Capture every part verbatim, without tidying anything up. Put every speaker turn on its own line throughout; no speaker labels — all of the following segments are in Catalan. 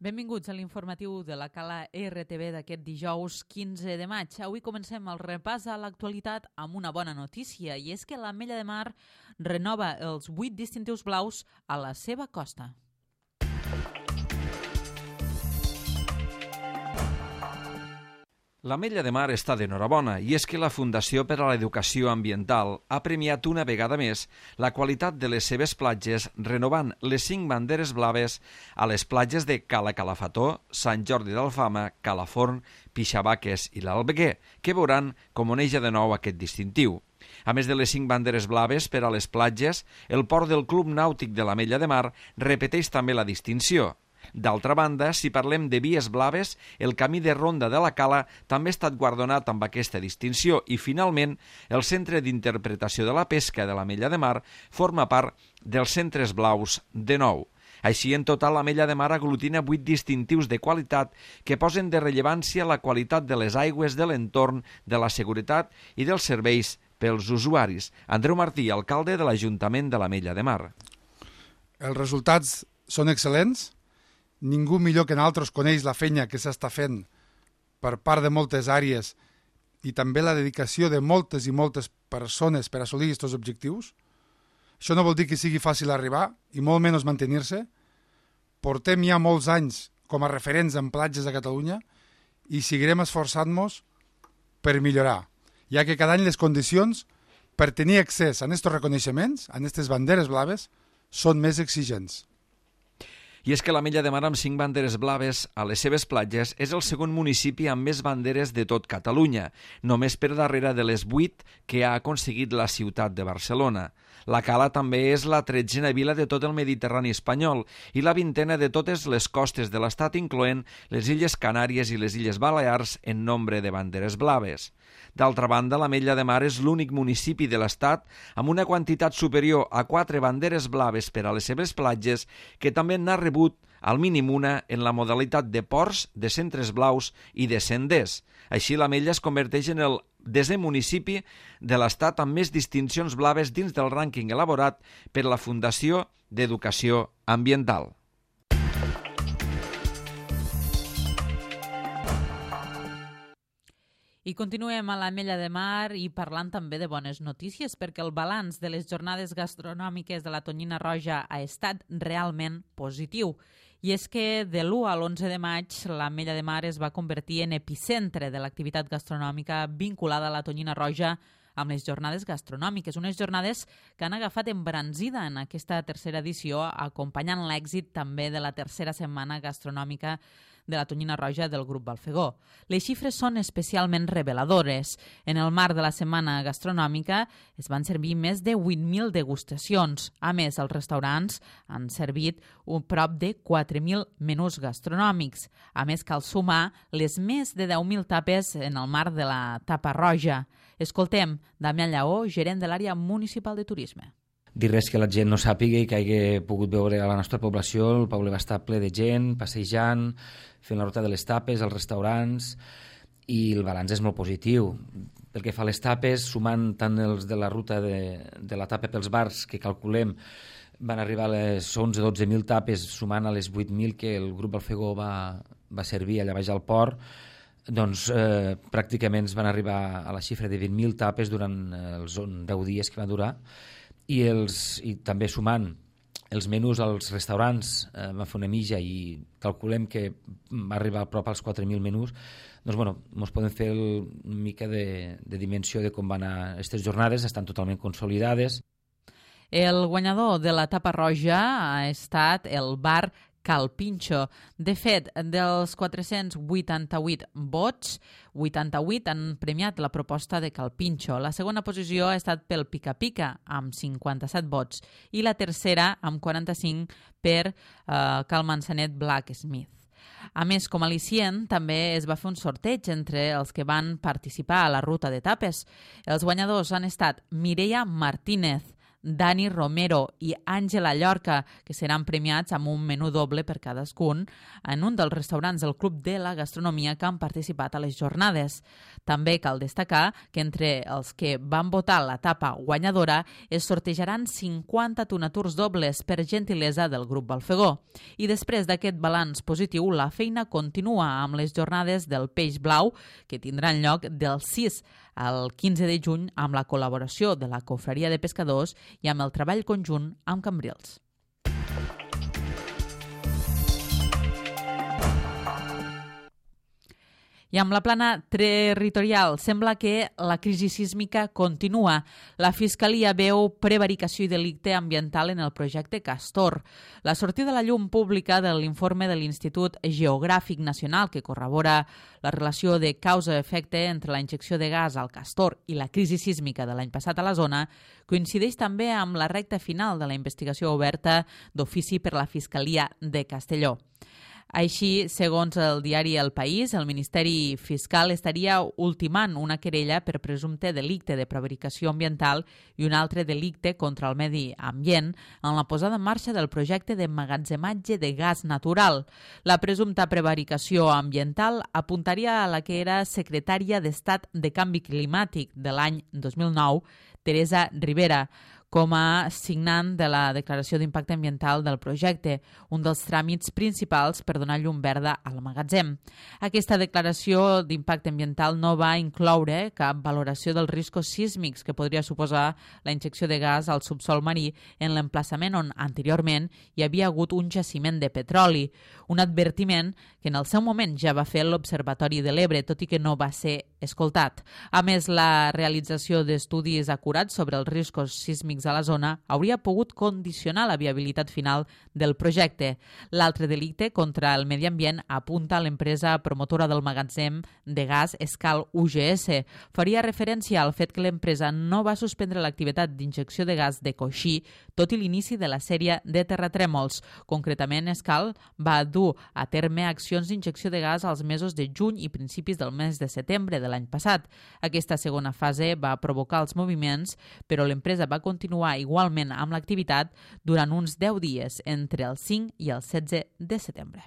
Benvinguts a l'informatiu de la Cala R T V d'aquest dijous quinze de maig. Avui comencem el repàs a l'actualitat amb una bona notícia, i és que l'Ametlla de Mar renova els vuit distintius blaus a la seva costa.
L'Ametlla de Mar està d'enhorabona, i és que la Fundació per a l'Educació Ambiental ha premiat una vegada més la qualitat de les seves platges renovant les cinc banderes blaves a les platges de Cala Calafató, Sant Jordi d'Alfama, Calaforn, Pixabaques i l'Albeguer, que veuran com oneja de nou aquest distintiu. A més de les cinc banderes blaves per a les platges, el port del Club Nàutic de l'Ametlla de Mar repeteix també la distinció. D'altra banda, si parlem de vies blaves, el camí de ronda de la Cala també ha estat guardonat amb aquesta distinció i, finalment, el Centre d'Interpretació de la Pesca de l'Ametlla de Mar forma part dels centres blaus de nou. Així, en total, l'Ametlla de Mar aglutina vuit distintius de qualitat que posen de rellevància la qualitat de les aigües de l'entorn, de la seguretat i dels serveis pels usuaris. Andreu Martí, alcalde de l'Ajuntament de l'Ametlla de Mar.
Els resultats són excel·lents. Ningú millor que nosaltres coneix la feina que s'està fent per part de moltes àrees i també la dedicació de moltes i moltes persones per assolir aquests objectius. Això no vol dir que sigui fàcil arribar i molt menys mantenir-se. Portem ja molts anys com a referents en platges a Catalunya i seguirem esforçant-nos per millorar, ja que cada any les condicions per tenir accés a aquests reconeixements, a aquestes banderes blaves, són més exigents.
I és que l'Ametlla de Mar, amb cinc banderes blaves a les seves platges, és el segon municipi amb més banderes de tot Catalunya, només per darrere de les vuit que ha aconseguit la ciutat de Barcelona. La Cala també és la tretzena vila de tot el Mediterrani espanyol i la vintena de totes les costes de l'estat, incloent les Illes Canàries i les Illes Balears en nombre de banderes blaves. D'altra banda, l'Ametlla de Mar és l'únic municipi de l'estat amb una quantitat superior a quatre banderes blaves per a les seves platges, que també n'ha rebut al mínim una en la modalitat de ports, de centres blaus i de senders. Així, l'Ametlla es converteix en el desè municipi de l'estat amb més distincions blaves dins del rànquing elaborat per la Fundació d'Educació Ambiental.
I continuem a l'Ametlla de Mar i parlant també de bones notícies, perquè el balanç de les jornades gastronòmiques de la Tonyina Roja ha estat realment positiu. I és que de l'u a l'onze de maig l'Ametlla de Mar es va convertir en epicentre de l'activitat gastronòmica vinculada a la Tonyina Roja amb les jornades gastronòmiques, unes jornades que han agafat embranzida en aquesta tercera edició, acompanyant l'èxit també de la tercera setmana gastronòmica de la Tonyina Roja del grup Balfegó. Les xifres són especialment reveladores. En el marc de la setmana gastronòmica es van servir més de vuit mil degustacions. A més, els restaurants han servit un prop de quatre mil menús gastronòmics. A més, cal sumar les més de deu mil tapes en el marc de la Tapa Roja. Escoltem Damià Lleó, gerent de l'àrea municipal de turisme.
Dir res que la gent no sàpiga i que hagi pogut veure a la nostra població. El poble va estar ple de gent, passejant, fent la ruta de les tapes, als restaurants, i el balanç és molt positiu. Pel que fa a les tapes, sumant tant els de la ruta de, de la tapa pels bars, que calculem van arribar a les onze o dotze mil tapes, sumant a les vuit mil que el grup Balfegó va, va servir allà baix al port, doncs eh, pràcticament es van arribar a la xifra de vint mil tapes durant els deu dies que va durar. I, els, i també sumant els menús als restaurants, eh, va fer una mitja i calculem que va arribar a prop als quatre mil menús, doncs bueno, ens podem fer el, una mica de, de dimensió de com van anar aquestes jornades, estan totalment consolidades.
El guanyador de la Tapa Roja ha estat el bar Cal Pinxo. De fet, dels quatre-cents vuitanta-vuit vots, vuitanta-vuit han premiat la proposta de Cal Pinxo. La segona posició ha estat pel Pica Pica, amb cinquanta-set vots, i la tercera, amb quaranta-cinc, per uh, Cal Manzanet Blacksmith. A més, com a al·licient, també es va fer un sorteig entre els que van participar a la ruta de tapes. Els guanyadors han estat Mireia Martínez, Dani Romero i Àngela Llorca, que seran premiats amb un menú doble per cadascun en un dels restaurants del Club de la Gastronomia que han participat a les jornades. També cal destacar que entre els que van votar l'etapa guanyadora es sortejaran cinquanta tonaturs dobles per gentilesa del grup Balfegó. I després d'aquest balanç positiu, la feina continua amb les jornades del Peix Blau, que tindran lloc del sis al quinze de juny amb la col·laboració de la Confraria de Pescadors i amb el treball conjunt amb Cambrils. I amb la plana territorial, sembla que la crisi sísmica continua. La Fiscalia veu prevaricació i delicte ambiental en el projecte Castor. La sortida a la llum pública de l'informe de l'Institut Geogràfic Nacional, que corrobora la relació de causa-efecte entre la injecció de gas al Castor i la crisi sísmica de l'any passat a la zona, coincideix també amb la recta final de la investigació oberta d'ofici per la Fiscalia de Castelló. Així, segons el diari El País, el Ministeri Fiscal estaria ultimant una querella per presumpte delicte de prevaricació ambiental i un altre delicte contra el medi ambient en la posada en marxa del projecte d'emmagatzematge de gas natural. La presumpta prevaricació ambiental apuntaria a la que era secretària d'Estat de Canvi Climàtic de l'any dos mil nou, Teresa Rivera, com a signant de la declaració d'impacte ambiental del projecte, un dels tràmits principals per donar llum verda al magatzem. Aquesta declaració d'impacte ambiental no va incloure cap valoració dels riscos sísmics que podria suposar la injecció de gas al subsol marí en l'emplaçament on anteriorment hi havia hagut un jaciment de petroli, un advertiment que en el seu moment ja va fer l'Observatori de l'Ebre, tot i que no va ser escoltat. A més, la realització d'estudis acurats sobre els riscos sísmics a la zona hauria pogut condicionar la viabilitat final del projecte. L'altre delicte contra el medi ambient apunta a l'empresa promotora del magatzem de gas Escal U G S. Faria referència al fet que l'empresa no va suspendre l'activitat d'injecció de gas de coixí tot i l'inici de la sèrie de terratrèmols. Concretament, Escal va dur a terme accions d'injecció de gas als mesos de juny i principis del mes de setembre de l'any passat. Aquesta segona fase va provocar els moviments, però l'empresa va continuar igualment amb l'activitat durant uns deu dies entre el cinc i el setze de setembre.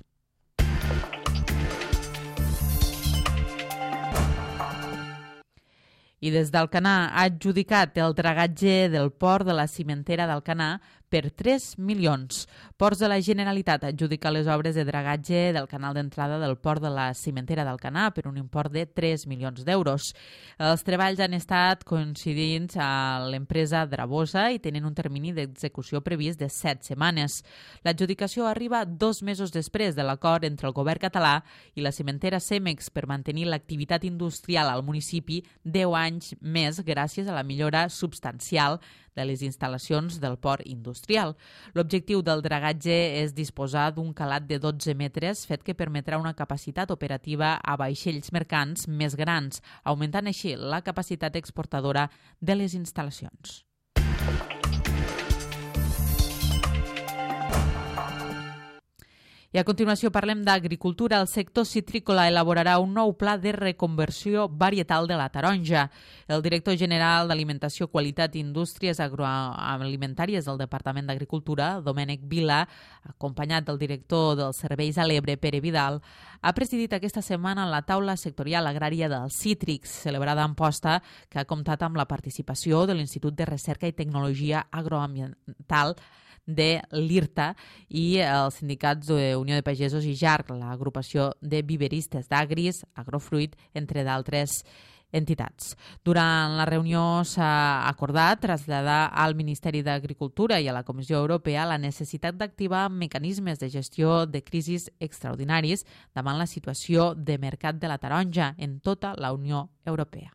I des d'Alcanar ha adjudicat el dragatge del port de la cimentera d'Alcanar per tres milions. Ports de la Generalitat adjudica les obres de dragatge del canal d'entrada del port de la cimentera d'Alcanar per un import de tres milions d'euros. Els treballs han estat coincidint a l'empresa Drabosa i tenen un termini d'execució previst de set setmanes. L'adjudicació arriba dos mesos després de l'acord entre el govern català i la cimentera Cemex per mantenir l'activitat industrial al municipi deu anys més gràcies a la millora substancial de les instal·lacions del port industrial. L'objectiu del dragatge és disposar d'un calat de dotze metres, fet que permetrà una capacitat operativa a vaixells mercants més grans, augmentant així la capacitat exportadora de les instal·lacions. I a continuació parlem d'agricultura. El sector citrícola elaborarà un nou pla de reconversió varietal de la taronja. El director general d'Alimentació, Qualitat i Indústries Agroalimentàries del Departament d'Agricultura, Domènec Vila, acompanyat del director dels serveis a l'Ebre, Pere Vidal, ha presidit aquesta setmana la taula sectorial agrària dels cítrics, celebrada a Amposta, que ha comptat amb la participació de l'Institut de Recerca i Tecnologia Agroambiental de l'IRTA i els sindicats d'Unió de Pagesos i JARC, l'agrupació de viveristes d'Agris, Agrofruit, entre d'altres entitats. Durant la reunió s'ha acordat traslladar al Ministeri d'Agricultura i a la Comissió Europea la necessitat d'activar mecanismes de gestió de crisis extraordinaris davant la situació de mercat de la taronja en tota la Unió Europea.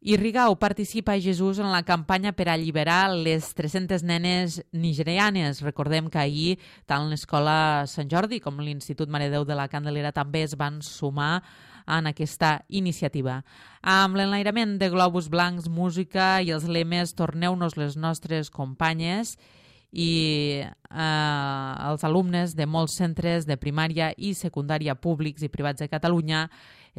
I Rigau participa a Jesús en la campanya per alliberar les tres-centes nenes nigerianes. Recordem que ahir tant l'Escola Sant Jordi com l'Institut Mare de Déu de la Candelera també es van sumar en aquesta iniciativa. Amb l'enlairament de globus blancs, música i els lemes "Torneu-nos les nostres companyes" i eh, els alumnes de molts centres de primària i secundària públics i privats de Catalunya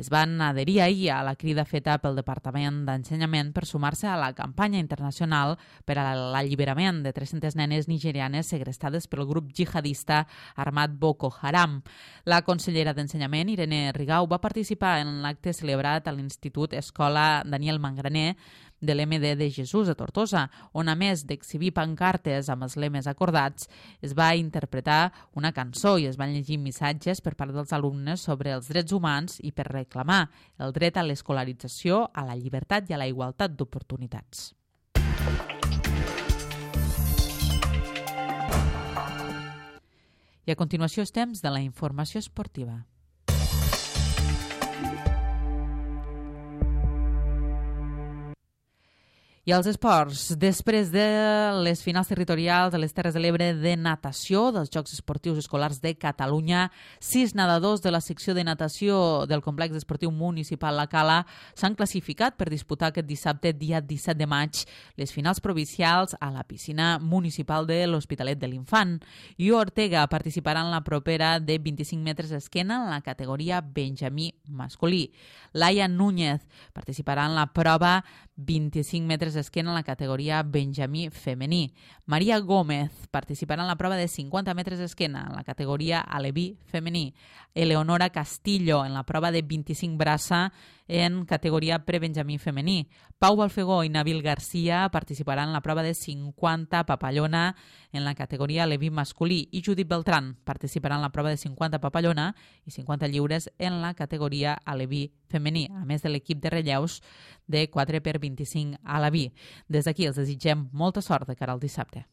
es van adherir ahir a la crida feta pel Departament d'Ensenyament per sumar-se a la campanya internacional per a l'alliberament de tres-centes nenes nigerianes segrestades pel grup jihadista armat Boko Haram. La consellera d'Ensenyament, Irene Rigau, va participar en l'acte celebrat a l'Institut Escola Daniel Mangraner de l'M D de Jesús a Tortosa, on a més d'exhibir pancartes amb els lemes acordats, es va interpretar una cançó i es van llegir missatges per part dels alumnes sobre els drets humans i per reclamar el dret a l'escolarització, a la llibertat i a la igualtat d'oportunitats. I a continuació és temps de la informació esportiva. I als esports, després de les finals territorials de les Terres de l'Ebre de natació dels Jocs Esportius Escolars de Catalunya, sis nedadors de la secció de natació del complex esportiu municipal La Cala s'han classificat per disputar aquest dissabte, dia disset de maig, les finals provincials a la piscina municipal de l'Hospitalet de l'Infant. I Ortega participarà en la propera de vint-i-cinc metres esquena en la categoria Benjamí masculí. Laia Núñez participarà en la prova vint-i-cinc metres esquena en la categoria Benjamí femení. Maria Gómez participarà en la prova de cinquanta metres esquena en la categoria aleví femení. Eleonora Castillo en la prova de vint-i-cinc braça en categoria prebenjamí femení. Pau Balfegó i Nabil Garcia participaran en la prova de cinquanta papallona en la categoria aleví masculí i Judit Beltrán participarà en la prova de cinquanta papallona i cinquanta lliures en la categoria aleví femení, a més de l'equip de relleus de quatre per vint-i-cinc aleví. Des d'aquí els desitgem molta sort de cara al dissabte.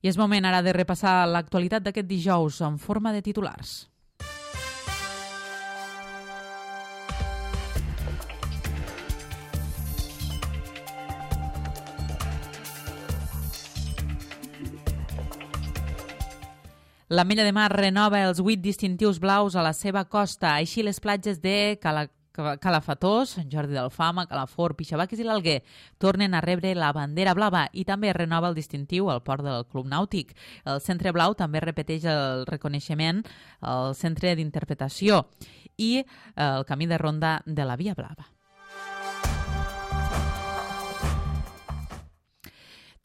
I és moment ara de repassar l'actualitat d'aquest dijous en forma de titulars. L'Ametlla de Mar renova els vuit distintius blaus a la seva costa. Així, les platges de Cala Calafatós, Sant Jordi d'Alfama, Calafort, Pixabaques i l'Alguer tornen a rebre la bandera blava i també renova el distintiu al port del Club Nàutic. El Centre Blau també repeteix el reconeixement al Centre d'Interpretació i el camí de ronda de la Via Blava.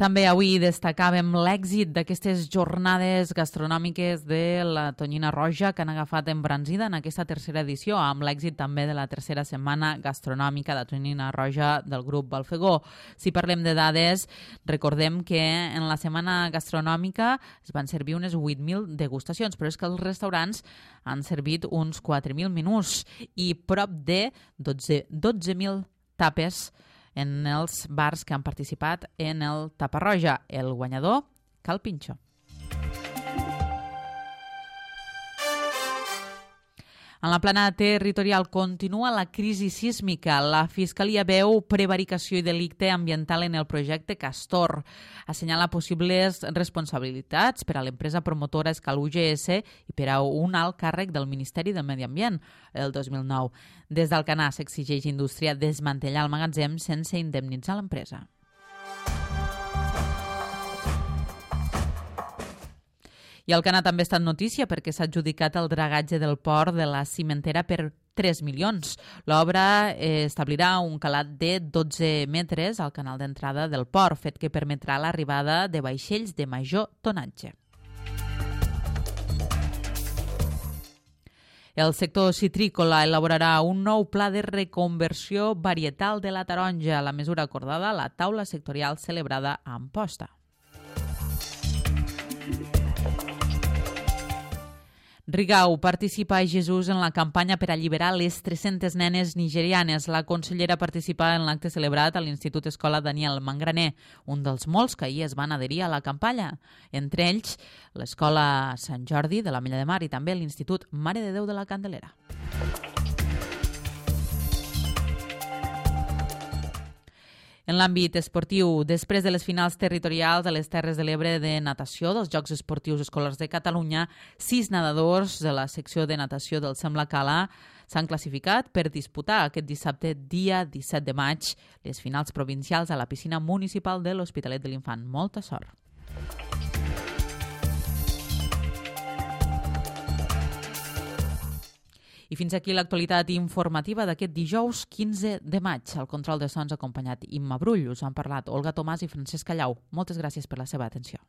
També avui destacàvem l'èxit d'aquestes jornades gastronòmiques de la Tonyina Roja que han agafat embranzida en aquesta tercera edició, amb l'èxit també de la tercera setmana gastronòmica de Tonyina Roja del grup Balfegó. Si parlem de dades, recordem que en la setmana gastronòmica es van servir unes vuit mil degustacions, però és que els restaurants han servit uns quatre mil menús i prop de dotze mil tapes en els bars que han participat en el Taparroja. El guanyador, Cal Pinxo. En la plana territorial continua la crisi sísmica. La Fiscalia veu prevaricació i delicte ambiental en el projecte Castor. Assenyala possibles responsabilitats per a l'empresa promotora Escal U G S i per a un alt càrrec del Ministeri del Medi Ambient el dos mil nou. Des d'Alcanar s'exigeix Indústria desmantellar el magatzem sense indemnitzar l'empresa. I Alcanar també ha estat notícia perquè s'ha adjudicat el dragatge del port de la cimentera per tres milions. L'obra establirà un calat de dotze metres al canal d'entrada del port, fet que permetrà l'arribada de vaixells de major tonatge. El sector citrícola elaborarà un nou pla de reconversió varietal de la taronja, la mesura acordada a la taula sectorial celebrada a Amposta. Rigau participa a Jesús en la campanya per alliberar les tres-centes nenes nigerianes. La consellera participa en l'acte celebrat a l'Institut Escola Daniel Mangraner, un dels molts que ahir es van adherir a la campanya. Entre ells, l'Escola Sant Jordi de l'Ametlla de Mar i també l'Institut Mare de Déu de la Candelera. En l'àmbit esportiu, després de les finals territorials a les Terres de l'Ebre de natació dels Jocs Esportius Escolars de Catalunya, sis nedadors de la secció de natació del Sem La Cala S'han classificat per disputar aquest dissabte, dia disset de maig, les finals provincials a la piscina municipal de l'Hospitalet de l'Infant. Molta sort! I fins aquí l'actualitat informativa d'aquest dijous quinze de maig. Al control de sons acompanyat Imma Brull. Us han parlat Olga Tomàs i Francesc Callau. Moltes gràcies per la seva atenció.